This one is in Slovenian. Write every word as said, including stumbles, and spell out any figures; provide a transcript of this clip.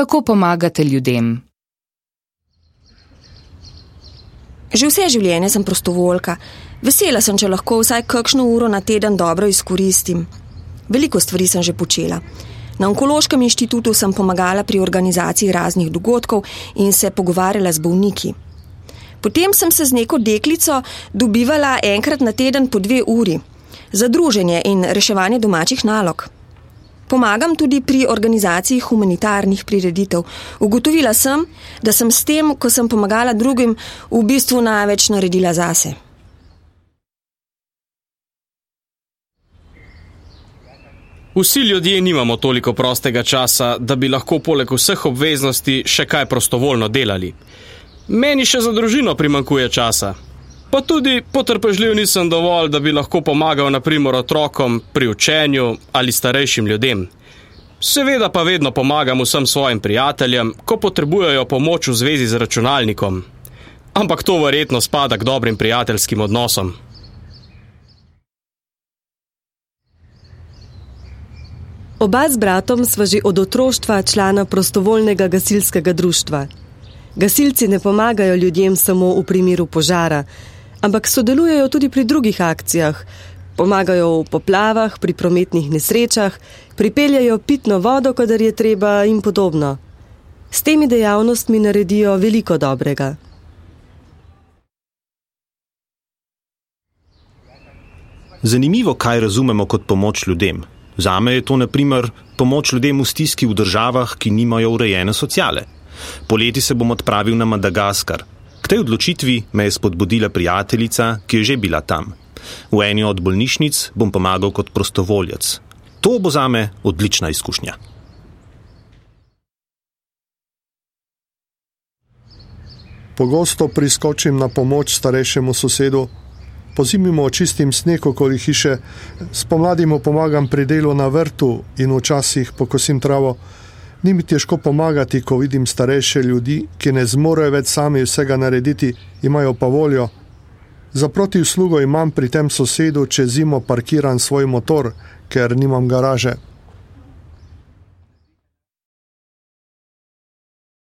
Kako pomagate ljudem? Že vse življenje sem prostovoljka. Vesela sem, če lahko vsaj kakšno uro na teden dobro izkoristim. Veliko stvari sem že počela. Na Onkološkem inštitutu sem pomagala pri organizaciji raznih dogodkov in se pogovarjala z bolniki. Potem sem se z neko deklico dobivala enkrat na teden po dve uri za druženje in reševanje domačih nalog. Pomagam tudi pri organizaciji humanitarnih prireditev. Ugotovila sem, da sem s tem, ko sem pomagala drugim, v bistvu največ naredila zase. Vsi ljudje nimamo toliko prostega časa, da bi lahko poleg vseh obveznosti še kaj prostovoljno delali. Meni še za družino primanjkuje časa. Pa tudi potrpežljiv nisem dovolj, da bi lahko pomagal na primer otrokom pri učenju ali starejšim ljudem. Seveda pa vedno pomagam vsem svojim prijateljem, ko potrebujejo pomoč v zvezi z računalnikom. Ampak to verjetno spada k dobrim prijateljskim odnosom. Oba z bratom sva že od otroštva člana prostovoljnega gasilskega društva. Gasilci ne pomagajo ljudem samo v primeru požara, ampak sodelujejo tudi pri drugih akcijah. Pomagajo v poplavah, pri prometnih nesrečah, pripeljajo pitno vodo, kadar je treba in podobno. S temi dejavnostmi naredijo veliko dobrega. Zanimivo, kaj razumemo kot pomoč ljudem. Zame je to na primer pomoč ljudem v stiski v državah, ki nimajo urejene sociale. Poleti se bom odpravil na Madagaskar. K tej odločitvi me je spodbudila prijateljica, ki je že bila tam. V eni od bolnišnic bom pomagal kot prostovoljec. To bo zame odlična izkušnja. Pogosto priskočim na pomoč starejšemu sosedu. Pozimi mu očistim sneg okoli hiše, spomladi mu pomagam pri delu na vrtu in včasih pokosim travo. Ni mi težko pomagati, ko vidim starejše ljudi, ki ne zmorejo več sami vsega narediti, imajo pa voljo. Za protiuslugo imam pri tem sosedu čez zimo parkiran svoj motor, ker nimam garaže.